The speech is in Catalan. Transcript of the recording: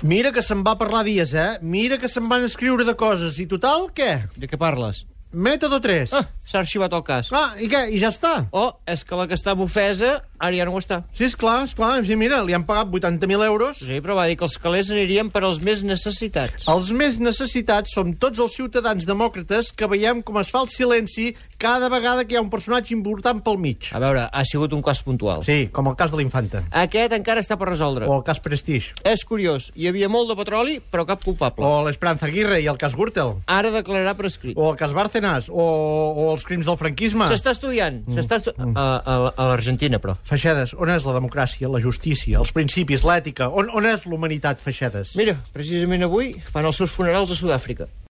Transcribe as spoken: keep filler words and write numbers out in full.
Mira que se'n va parlar dies, eh? Mira que se'n van escriure de coses. I total, què? De què parles? Mètode tres. Ah, s'ha arxivat el cas. Ah, i què? I ja està? Oh, és que la que estava ofesa ara ja no ho està. Sí, esclar, esclar. Sí, mira, li han pagat vuitanta mil euros. Sí, però va dir que els calés anirien per als més necessitats. Els més necessitats som tots els ciutadans demòcrates que veiem com es fa el silenci cada vegada que hi ha un personatge important pel mig. A veure, ha sigut un cas puntual. Sí, com el cas de l'Infanta. Aquest encara està per resoldre. O el cas Prestige. És curiós, hi havia molt de petroli, però cap culpable. O l'Esperanza Aguirre i el cas Gürtel. Ara declararà per escrit. O el cas Bárcenas. O, o els crims del franquisme. S'està estudiant. Mm. S'està estu... mm. a, a, a l'Argentina, però. Feixedes, on és la democràcia, la justícia, els principis, l'ètica? On, on és l'humanitat, Feixedes? Mira, precisament avui fan els seus funerals a Sud-àfrica.